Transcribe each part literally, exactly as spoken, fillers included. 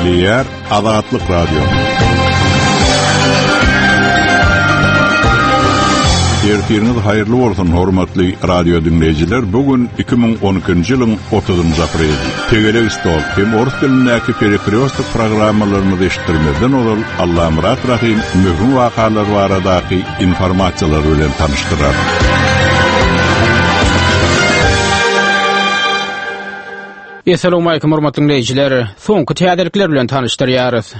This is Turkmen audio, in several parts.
Gepleýär Azatlyk Radiosy. Ertiriňiz haýyrly bolsun hormatly radio dinleýjiler. Bu gün iki müň on ikinji ýylyň otuzynjy apreli. Tegelek stol hem orus dilindäki perekryostok programmalarymyzy eşitdirmezden ozal Allamyrat Rahim möhüm wakalar baradaky informasiýalar bilen tanyşdyrar. Esselamu aleýkum hormatly dinleýjiler. Soňky täzelikler bilen tanyşdyrýarys.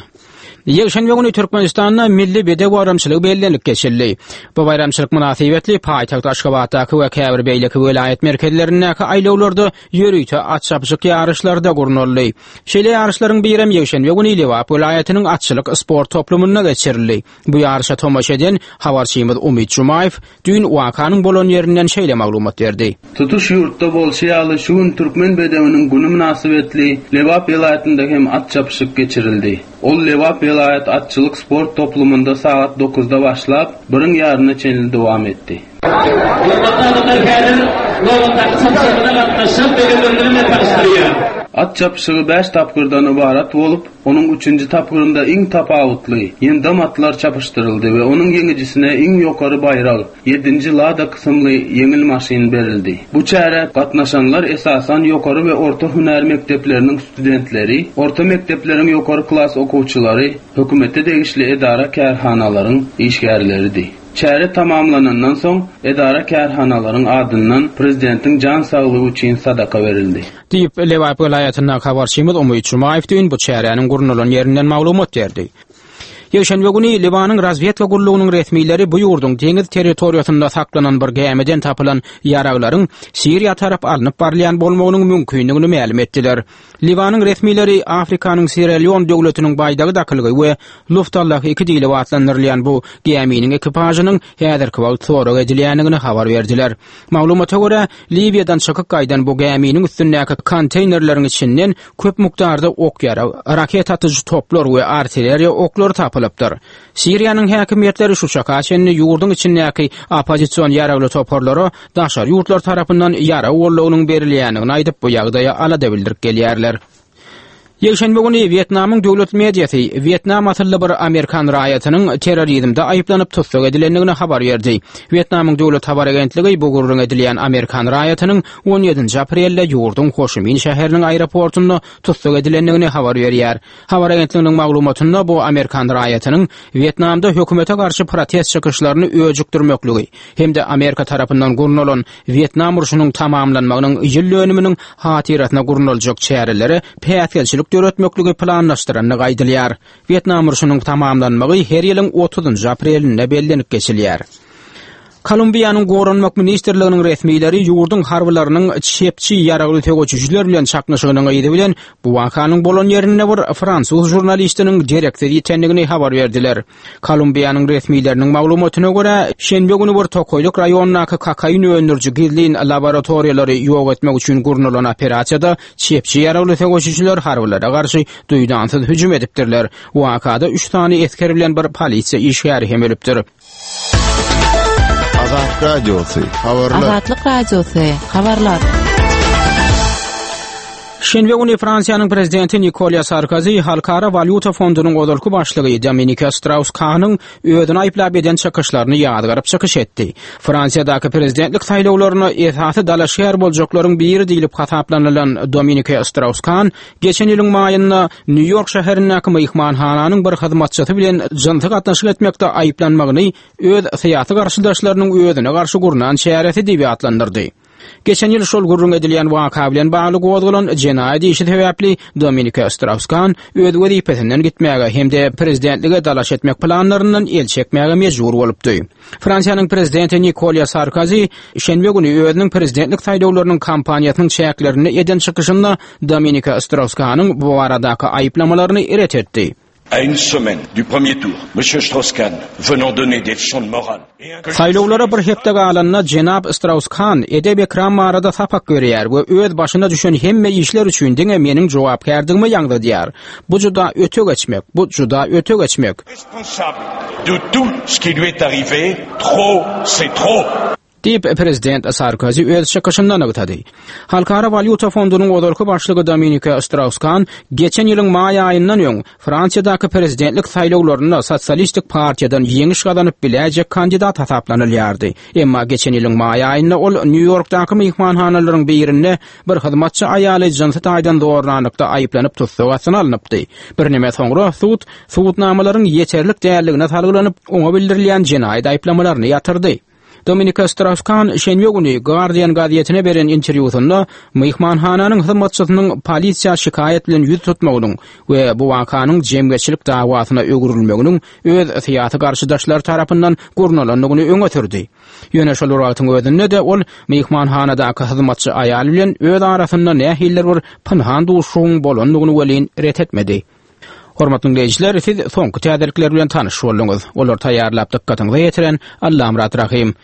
Ýekşenbe güni Türkmenistanda milli bedew baýramçylygy bellenilip geçildi. Bu baýramçylyk mynasybetli paýtagt Aşgabatdaky we käbir beýleki welaýat merkezlerindäki aýlawlarda ýörite at çapyşyk ýaryşlary-da gurnaldy. Şeýle ýaryşlaryň birem ýekşenbe güni Lebap welaýatynyň atçylyk sport toplumynda geçirildi. Bu ýaryşa tomaşa eden habarçymyz Umyt Jumaýew düýn wakanyň bolan ýerinden şeýle maglumat berdi. Tutuş ýurtda bolşy ýaly şu gün Türkmen bedewiniň günü mynasybetli Lebap welaýatynda hem at çapyşyk geçirildi. Ol Lebap welaýat atçylyk sport toplumynda sagat dokuzda başlap, birin ýaryna çenli dowam etdi. At çapyşygy bäş tapgyrdan ybarat bolup, onuň üçünji tapgyrynda iň tapawutly ýyndam atlar çapyşdyryldy we onuň ýeňijisine iň ýokary baýrak ýedinji Lada kysymly ýeňil maşyn berildi. Bu çärä gatnaşanlar esasan ýokary we orta hünär mekdepleriniň studentleri, orta mekdepleriň ýokary klas okuwçylary, hökümete degişli edara kärhanalaryň işgärleridi. Çäre tamamlanandan soň edara kärhanalaryň adyndan prezidentiň jan saglygy üçin sadaka berildi. Diýip Lebap welaýatyndaky habarçymyz Umyt Jumaýew düýn bu çäräniň gurnalan ýerinden maglumat berdi. Ýekşenbe güni Liwanyň razwedka gullugynyň resmileri bu ýurduň deňiz territoriýasynda saklanan bir gämiden tapylan ýaraglaryň Siriýa tarap alnyp barylýan bolmagynyň mümkinligini mälim etdiler. Liwanyň resmileri Afrikanyň Sierra Leone döwletiniň baýdagy dakylgy we Luftallah iki diýlip atlandyrylýan bu gäminiň ekipažynyň häzirki wagt sorag edilýändigini habar berdiler. Maglumata görä, Liwiýadan çykyp gaýdan bu gäminiň üstündäki konteýnerleriň içinden köp mukdarda ok ýarag, raket atyjy toplar we artilleriýa oklary tapylypdyr. Siriýanyň häkimiýetleri şu çaka çenli ýurduň içindäki oppozision ýaragly toparlara daşary ýurtlar tarapyndan ýarag goldawynyň berilýändigini aýdyp, bu ýagdaýa alada bildirip gelýärler. Ýekşenbe güni Wýetnamyň döwlet mediasy Wýetnam asylly bir Amerikan raýatynyň terrorizmde aýyplanyp tussag edilendigini habar berdi. Wýetnamyň döwlet habar agentligi bu gürrüň edilýän Amerikan raýatynyň on ýedinji aprelde ýurduň Hoşimin şäheriniň aeroportunda tussag edilendigini habar berýär. Habar agentliginiň maglumatynda bu Amerikan raýatynyň Wýetnamda hökümete garşy protest çykyşlaryny öjükdirmekligi hem-de Amerika tarapyndan gurnalan Wýetnam urşunyň tamamlanmagynyň ýyl dönüminiň hatyrasyna gurnaljak çärelere päsgelçilik döretmekligi planlaşdyrandygy aýdylýar. Wýetnam urşunyň tamamlanmagy her ýylyň otuzynjy aprelinde bellenip geçilýär. Kolumbiýanyň Goranmak ministrliginiň resmileri ýurduň harbylarynyň çepçi ýaragly söweşijiler bilen çaknyşygynyň yzy bilen bu wakanyň bolan ýerinde bir fransuz žurnalistiniň dereksiz ýitendigini habar berdiler. Kolumbiýanyň resmileriniň maglumatyna görä, şenbe güni bir tokaýlyk raýondaky kokain öndüriji gizlin laboratoriýalary ýok etmek üçin gurnalan operasiýada çepçi ýaragly söweşijiler harbylara garşy duýdansyz hüjüm edipdirler. Wakada üç sany esger bilen bir polisiýa işgäri hem ölüpdir. Azatlyk Radiosy, habarlar. Azatlyk Radiosy, habarlar. Şenbe güni Fransiýanyň prezidenti Nikolýa Sarkozy Halkara Walýuta fondunyň ozalky başlygy Dominika Strauss-Kahnyň özüni aýyplap eden çykyşlaryny ýazgaryp çykyş etdi. Fransiýadaky prezidentlik saýlawlaryna esasy dalaşgär boljaklaryň biri diýlip hasaplanylan Dominika Strauss-Kahn geçen ýylyň maýynda Nýu-Ýork şäherindäki myhmanhananyň bir hyzmatçysy bilen jynsy gatnaşyk etmekde aýyplanmagyny öz syýasy garşydaşlarynyň özüne garşy gurnan çäresi diýip atlandyrdy. Geçen ýyl şol gürrüň edilýän waka bilen bagly gozgalan jenaýat işi sebäpli Dominika Strauss-Kahn öz wezipesinden gitmäge hem-de prezidentlige dalaş etmek planlaryndan el çekmäge mejbur bolupdy. Fransiýanyň prezidenti Nikolýa Sarkozy şenbe güni özüniň prezidentlik saýlawlarynyň kampaniýasynyň çäklerinde eden çykyşynda Dominika Strauss-Kahnyň bu baradaky aýyplamalaryny ret etdi. À une semaine du premier tour, Monsieur Strauss-Kahn venant donner des leçons de morale. Saýlawlara bir hepde galanda jenap Strauss-Kahn edep-ekram barada sapak berýär we öz başyna düşen hemme işler üçin diňe meniň jogapkärdigimi ýaňzydýar. Bu juda öte geçmek, bu juda öte geçmek. Responsable de tout ce qui lui est arrivé, trop, c'est trop. Diýip prezident Sarkozy öz çykyşynda nygtady. Halkara walýuta fondunyň ozalky başlygy Dominika Strauss-Kahn geçen ýylyň maý aýyndan öň Fransiýadaky prezidentlik saýlawlarynda Sosialistik partiýadan ýeňiş gazanyp biläýjek kandidat hasaplanylýardy. Emma geçen ýylyň maý aýynda ol Nýu-Ýorkdaky myhmanhanalaryň birinde bir hyzmatçy aýaly jynsy taýdan zorlanlykda aýyplanyp tussag astyna alnypdy. Birneme soňra sud subutnamalaryň ýeterlik däldigine salgylanyp, oňa bildirilýän jenaýat aýyplamalaryny ýatyrdy. Dominika Strauss-Kahn şenbe güni Guardian gazetine beren interwýusynda myhmanhananyň hyzmatçysynyň polisiýa şikaýat bilen ýüz tutmagynyň we bu wakanyň jemgyýetçilik dawasyna öwrülmeginiň öz syýasy garşydaşlary tarapyndan gurnalandygyny öňe sürdi. Ýöne şol wagtyň özünde-de ol myhmanhanadaky hyzmatçy aýal bilen öz arasynda nähilidir bir pynhan duşuşygyň bolandygyny welin ret etmedi. Hormatly dinleýjiler, siz soňky täzelikler bilen tanyş bolduňyz. Olar taýýarlap dykgatyňyza ýetiren Allamyrat Rahim.